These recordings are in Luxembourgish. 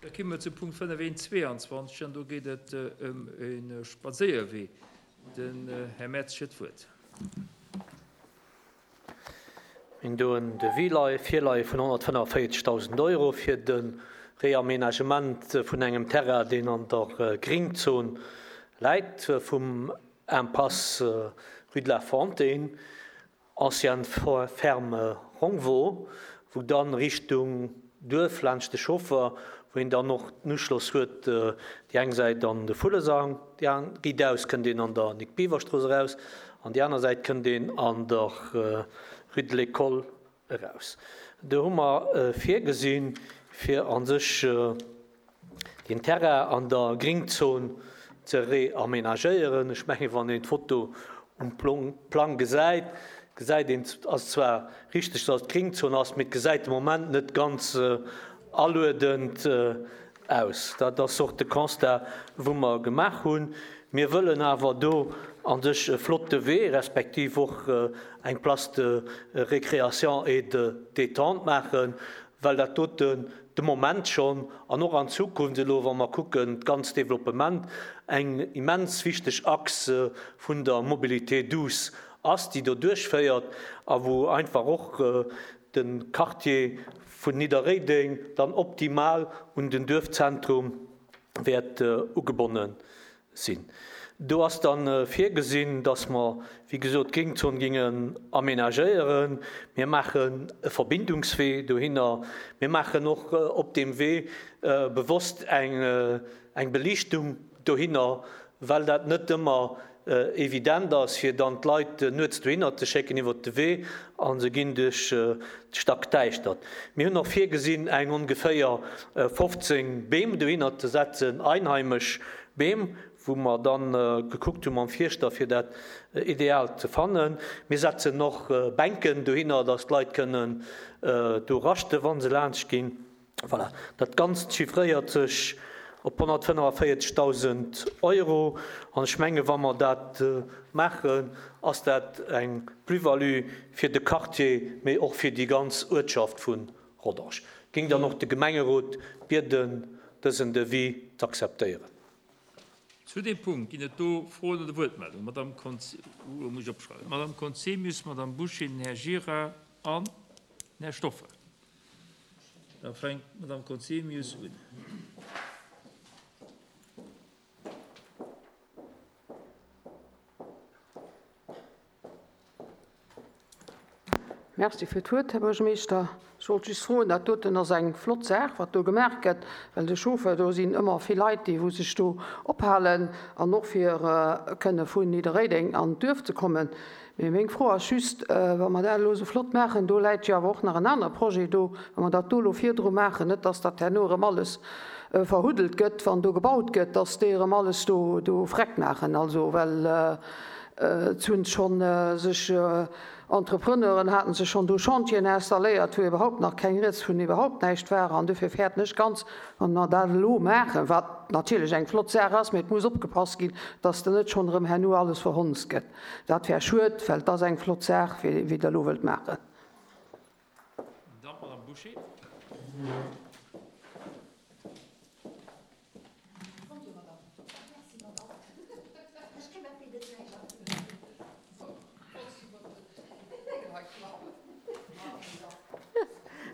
Da komme mer zum Punkt 5.1.22 an do geet et ëm e Spadséierwee. Den Här Mertz huet d'Wuert. Mir hunn do en Devis leie virleie vun 145.000 Euro fir de Reaménagement vun engem Terrain, deen an der Gringzon läit, vum Impasse rue de la Fontaine. Ancienne Ferme Rongvaux, wou dann Richtung Duerf laanscht de Chauffer, wou een dann och den Uschloss huet, déi eng Säit an de Vullesang, déi an riitaus kënnt een an der Nic-Biever-Strooss eraus an déi aner Säit kënnt een an der Rue de l'École eraus. Do hu mer virgesinn, fir a sech deen Terrain an der Gringzon ze reamenagéieren. Ech mengen, wann een d'Foto um Plang gesäit, gesäit een, et ass zwar richteg, datt et d'Gringzon ass, mee et gesäit de Moment net ganz aluedend aus. Dat ass och de Constat, wou mer gemaach hunn. Mir wëllen awer do a sech e flotte Wee, respektiv och eng Place de récréation et de détente maachen, well dat doten de Moment schonn an och an Zukunft elo, wa mer kucken d'ganz Développement, eng immens wichteg Achs vun der Mobilité douce ass, déi do duerchféiert a wou einfach och de Quartier vun Nidderréideng dann optimal un den Duerfzentrum wäert ugebonne sinn. Do ass da virgesinn, dass mer, wéi gesot, d'Gréngzon géingen aménagéieren. Mir maachen e Verbindungswee dohinner. Mir maachen och op deem Wee bewosst eng Beliichtung dohinner, well dat net ëmmer evident ass, fir dann d'Leit nuets dohinner ze schécken iwwert de Wee a se ginn duerch d'Stackdäischtert. Mir hunn och virgesinn, eng ongeféier 15 Beem dohinner ze setzen, einheimesch Beem, wou mer dann gekuckt hu mam Fierschter, fir dat ideal ze fannen. Mir setzen och Bänken dohinner, dass d'Leit kënnen do raschten, wa se laanscht ginn. Voilà, dat Ganzt chiffréiert sech op 145.000 Euro. An ech menge wa mer dat maachen, ass dat eng Plus-value fir de Quartier, mee och fir déi ganz Uertschaft vu Rodange. Géing dann och de Gemengerot bieden, dësen Devis z'akzeptéieren. Zu deem Punkt ginn et do Froen oder Wuertmeldungen. Madamm Madamm Conzemius, Madamm Bouché, den Här Gira an den Här Stoffel. Da fänkt d'Madame Conzemius un. Merci fir d'Wuert, Här Buergermeeschter. Ech wollt just froen, dat doten ass eng flott Saach, wat do gemaach gëtt, well de Chauffeur, do sinn ëmmer vill Leit, déi wou sech do ophalen an och fir kënne vun Nidderréideng an d'Duerf ze kommen. Mee meng Fro ass just, wa mer dat elo esou flott maachen, do läit jo awer och nach en anere Projet do, wa mer dat do elo virdru maachen, net dass dat herno erëm alles verhuddelt gëtt, wann do gebaut gëtt, dass déi erëm alles do do vreckt maachen. Also, well et hunn schonn sech Entrepreneuren haten sech schonn do Chantieren installéiert, wou iwwerhaupt nach keng Rieds vun iwwerhaupt näischt war. An dofir fäerten ech ganz, wa mer dat elo maachen, wat natierlech eng flott Saach ass, mee et muss opgepasst ginn, dass da net schonn erëm herno alles verhonzt gëtt. Dat wär schued, well et ass eng flott Saach, wéi Der elo wëllt maachen. Dann d'Madame Bouché.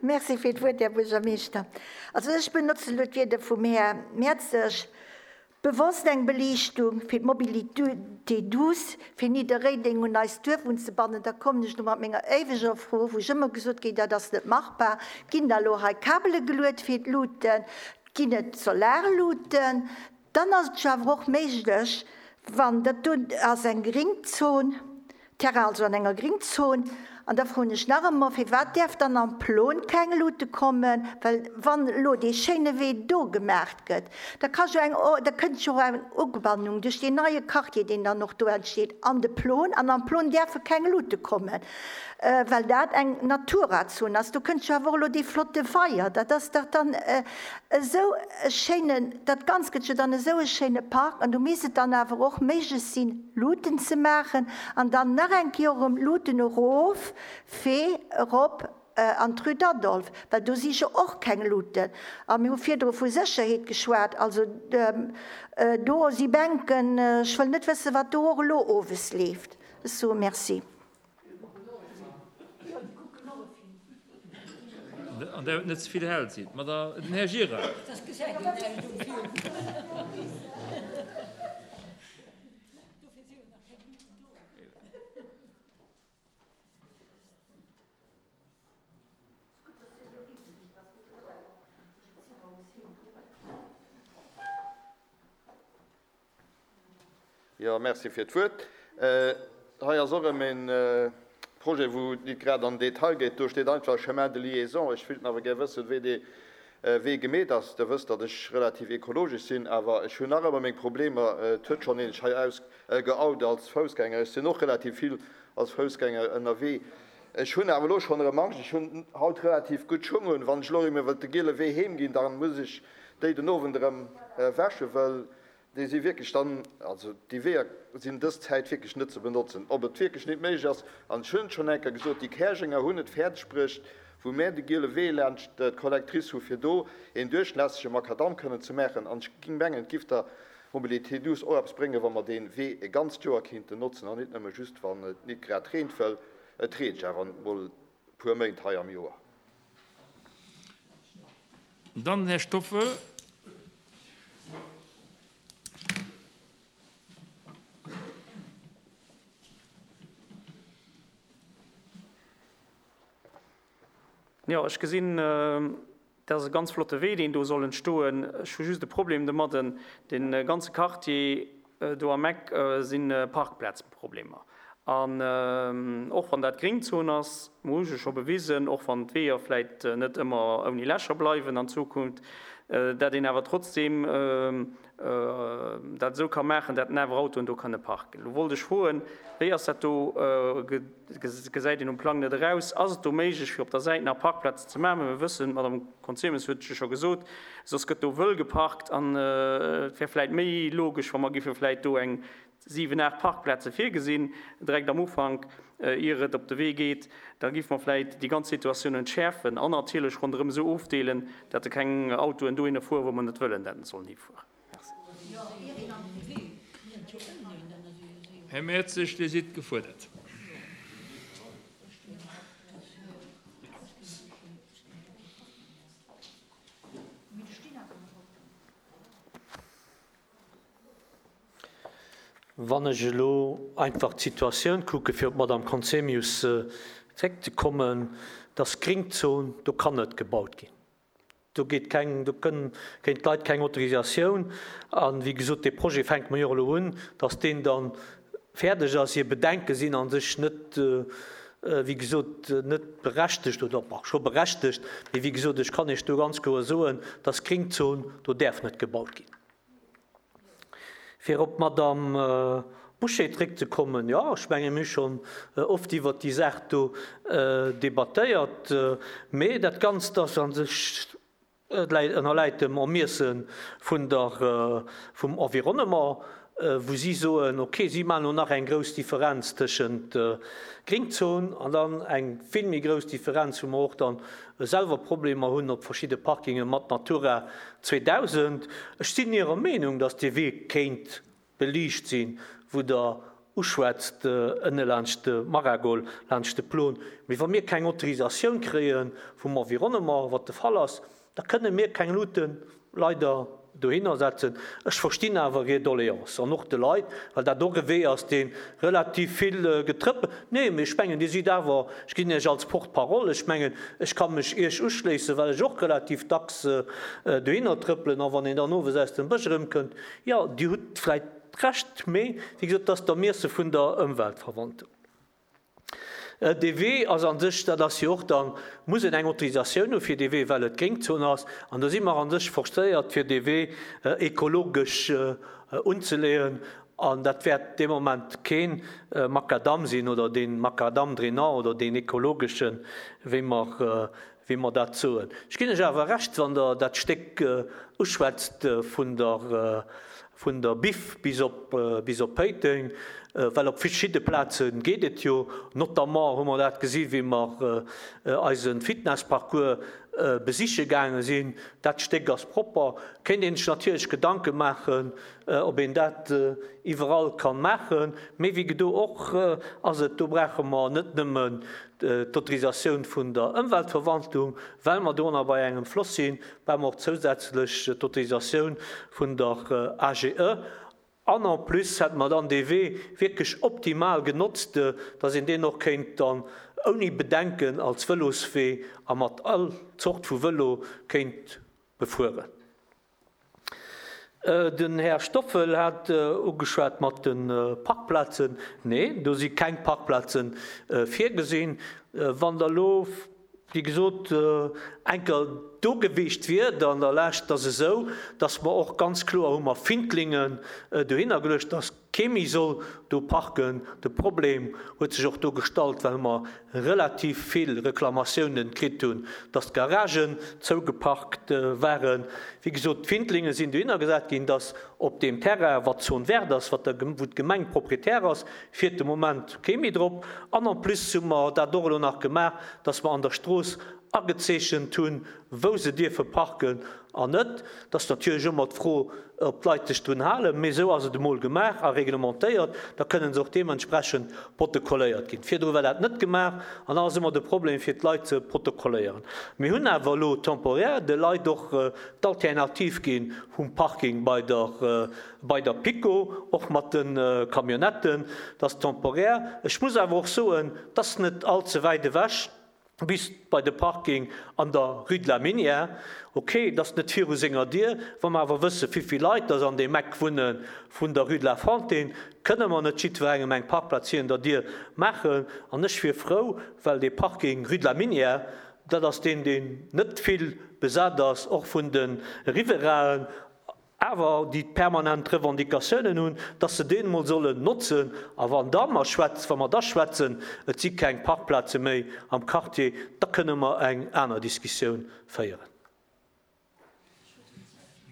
Merci fir d'Wuert, Här Buergermeeschter. Also ech benotzen elo d'Wierder vum Här Mertzig. Bewosst eng Beliichtung fir d'Mobilité douce fir Nidderréideng un eist Duerf unzebannen, da kommen ech elo mat menger éiweger Fro, wou ech ëmmer gesot kritt, dat ass net machbar, Ginn da elo hei Kabele geluet fir d'Luuten? Ginn et Solarluuten? Dann ass et jo awer och méiglech, wann dat do ass eng Gringzon, Terrain also an enger Gringzon. An da froen ech nach emol, Firwat däerf dann am Plon keng Luute kommen? Well wann elo dee schéine Wee do gemaacht gëtt, da ka jo eng, da kënnt jo och eng Ugebannung duerch deen neie Quartier, deen dann och do entsteet, an de Plon. An am Plon däerfe keng Luute kommen, well dat eng Naturazon ass. Do kënnt jo awer och elo dee flotte Weier. Dat ass dach dann esou e schéinen, dat Ganzt gëtt jo dann esou e schéine Park. An do misst et dann awer och méiglech sinn, Luuten ze maachen an dann nach eng Kéier erëm Luuten erof, Wee erop. An d'Rue d'Adolphe, well do si jo och keng Luuten. A mir hu virdru vu Sécherheet geschwat. Also do si Bänken, ech wëll net wëssen, wat do och elo owes leeft. Ech soe Merci. An där et net ze vill hell sinn. Den Här Gira. Jo, merci fir d'Wuert. Hei ass och erëm e Projet, wou et nit grad an den Detail geet. Do steet einfach Chemin de liaison. Ech wéilt awer gär wëssen, wéi dee Wee gemeet ass. Der wësst, datt ech relativ ekologesch sinn, awer ech hunn nach ëmmer meng Problemer. Et huet schonn een sech hei ausgeout als Foussgänger. Ech sinn och relativ vill als Foussgänger ënnerwee. Ech hunn awer elo schonn erëm Angscht. Ech hunn haut relativ gutt Schung un. Wann ech elo erëm iwwer de giele Wee heem ginn, da muss ech déi den Owend erëm wäschen, well déi si wierklech dann, also déi Weeër sinn dës Zäit wierklech net ze benotzen. Ob et wierklech nit méiglech ass, an ech hunn et schonn eng Kéier gesot, déi Käerjenger hunn et fäerdeg bruecht, wou mär de giele Wee laanscht d'Collectrice hu fir do een duerchlässege Makadamm kënnen ze maachen. An ech géing mengen, et giff der Mobilité douce och eppes bréngen, wa mer dee Wee e ganzt Joer kéinten notzen an nit nëmme just wann et nit grad reent, wëll et reent jo awer mol e puer Méint hei am Joer. Dann den Här Stoffel. Jo, ech gesinn, dat ass e ganz flotte Wee, deen do soll entstoen. Ech hu just e Problem domadden, Dee ganze Quartier do am Eck si Parkplazproblemer. An och wann dat Gréngzon ass, mer hu jo scho bewisen, och wann d'Weeër vläicht net ëmmer ouni Lächer bleiwen an Zukunft, dat een awer trotzdeem dat esou ka maachen, dat en awer Autoen do kënne parken. Elo wollt ech froen, wéi ass dat do, gesäit een um Plang net eraus, ass et do méiglech fir op der Säit nach Parkplazen ze maachen? Well mir wëssen, d'Madame Conzemius huet et jo scho gesot, soss gëtt do wëll geparkt an et wär vläit méi logesch, wa mer géife vläit do eng 7, 8 Parkplaze virgesinn, direkt am Ufank, ier et op de Wee geet, da géife mer vläit déi ganz Situatioun entschäerfen an natierlech ronderëm esou ofdeelen, dat keng Autoen dohinner fueren, wou mer net wëllen, dat se sollen hifueren. Merci. Här Mertzig, Dir sidd gefuerdert. Wann ech elo einfach d'Situatioun kucken, fir op d'Madame Conzemius zréckzekommen, dass d'Gringzon, do kann net gebaut ginn. Do geet keng, do kënn, kréien d'Leit keng Autorisatioun. A wéi gesot, dee Projet fänke mer jo elo un, dass deen da fäerdeg ass. Hir Bedenke sinn a sech net, wéi gesot, net berechtegt oder, bon, scho berechtegt, mee wéi gesot, ech kann Iech do ganz kloer soen, dass d'Gringzon, do däerf net gebaut ginn. Fir op d'Madame Bouché zréckzekommen, Jo, ech menge mir hu schonn oft iwwert déi Saach do debattéiert, mee dat Ganzt ass a sech, ënnerläit dem Ermiesse vun der, vum Environnement, wou si soen, okay, si maachen elo nach eng grouss Differenz tëschent Gringzon an dann eng vill méi grouss Differenz, wou mer och dann selwer Problemer hunn op verschidde Parkinge mat Natura 2000. Ech sinn Irer Meenung, datt dee Wee kéint beliicht sinn, wou Der uschwätzt, ënne laanscht de Maragol, laanscht de Plon. Mee wa mir keng Autorisatioun kréie vum Environnement, wat de Fall ass, Da kënne mir keng Luuten leider dohinner setzen. Ech verstinn awer hir Doléance an och de Leit, well dat och e Wee ass, dee relativ vill getrëppelt. Nee, mee ech mengen, Dir sidd awer, ech ginn Iech als Porte-parole, ech mengen, ech ka mech Iech uschléissen, well ech och relativ dacks dohinner trëppelen. A wann een dann owes aus dem Bësch erëmkënnt, jo, Dir hutt vläicht Recht, mee wéi gesot, et ass d'Ermiesse vun der Ëmweltverwaltung. Dee Wee ass a sech, dat ass jo och dann, muss een eng Autorisatioun hu fir dee Wee, well et Gréngzon ass. An do si mer a sech forcéiert, fir dee Wee ekologesch unzeleeën. An dat wäert dee Moment kee Macadam sinn oder dee Macadam drainant oder deen ekologeschen, wéi mer. wéi mer dat soen. Ech ginn lech awer Recht, wann Der dat Stéck uschwätzt vun der, vun der Biff bis op, bis op Péiteng, well op verschidde Plaze geet et jo. Notamment hu mer dat gesi wéi mer eise Fitnessparcours besiche gaange sinn. Dat Stéck ass propper. Kéint een sech natierlech Gedanke maachen, ob een dat iwwerall kann maachen. Mee wéi gedo och ass et, do brauche mer net nëmmen d'Autorisatioun vun der Ëmweltverwaltung, well mer do nach bei engem Floss sinn, brauche mer och zousätzlech d'Autorisatioun vun der AGE. An en plus hätte mer dann dee Wee wierklech optimal genotzt, dass een deen och kéint dann ouni Bedenken als Vëloswee a mat all Zort vu Vëlo kéint befueren. Den Här Stoffel hat ugeschwat mat de Parkplazen. Nee, do si keng Parkplaze virgesinn. Wann Der elo, wéi gesot, eng Kéier do gewiescht wiert an der Lescht, ass esou, datt mer och ganz kloer hu mer Findlingen dohinner geluecht, datt Kee méi soll do parken. De Problem huet sech och do gestallt, well mer relativ vill Reklamatiounen kritt hunn, dass d'Garagen zougeparkt waren. Wéi gesot, d'Findlinge sinn dohinner gesat ginn, dass op deem Terrain, wat Zone verte ass, wat der, wou d'Gemeng Proprietär ass, fiert de Moment kee méi drop. An en plus hu mer dat och elo nach gemaach, dass mer an der Strooss agezeechent hunn, wou se dierfe parken an net. Et ass natierlech ëmmer d'Fro, ob d'Leit sech drun halen, mee esou ass et emol gemaach a reglementéiert, da kënnen se och deementsprechend protokolléiert ginn. Virdru war dat net gemaach an da ass ëmmer de Problem, fir d'Leit ze protokolléieren. Mir hunn awer elo temporaire de Leit och d'Alternativ gi vum Parking bei der, bei der PiKo, och mat de Camionnetten. Dat ass temporaire. Ech muss awer och soen, et ass net all ze wäit ewech. Bis bei de Parking an der Rue de la Minière. Ok, et ass net viru senger Dier. Wa mer awer wësse wéivill Leit dass an deem Eck wunne vun der Rue de la Fontaine, kënne mer net jiddwerengem eng Parkplaz virun der Dier maachen. An ech wier frou, well dee Parking Rue de la Minière, dat ass deen, deen net vill besat ass, och vun de Riverainen, awer déi permanent Revendicatiounen hunn, dass se deen emol sollen notzen. A wann da mer schwätz, wa mer da schwätzen, et si keng Parkplaze méi am Quartier, da kënne mer eng aner Diskussioun féieren.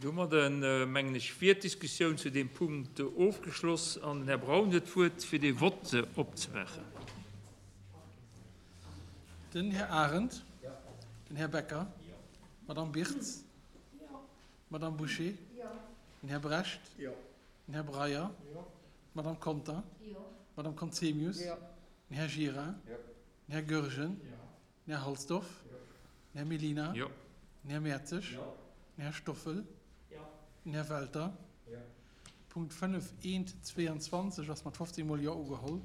Domadde mengen ech wier d'Diskussioun zu deem Punkt ofgeschloss an den Här Braun huet d'Wuert, fir dee Vott opzemaachen. Den Här Arendt. Den Här Becker. D'Madame Birtz. D'Madame Bouché. Den Här Brecht. Den Här Breyer. D'Madame Conter. D'Madame Conzemius. Den Här Gira. Den Här Goergen. Den Här Halsdorf. Den Här Mellina. Den Här Mertzig. Den Här Stoffel. Den Här Welter. Punkt 5 eent 22 ass mat 15 mol Jo ugeholl.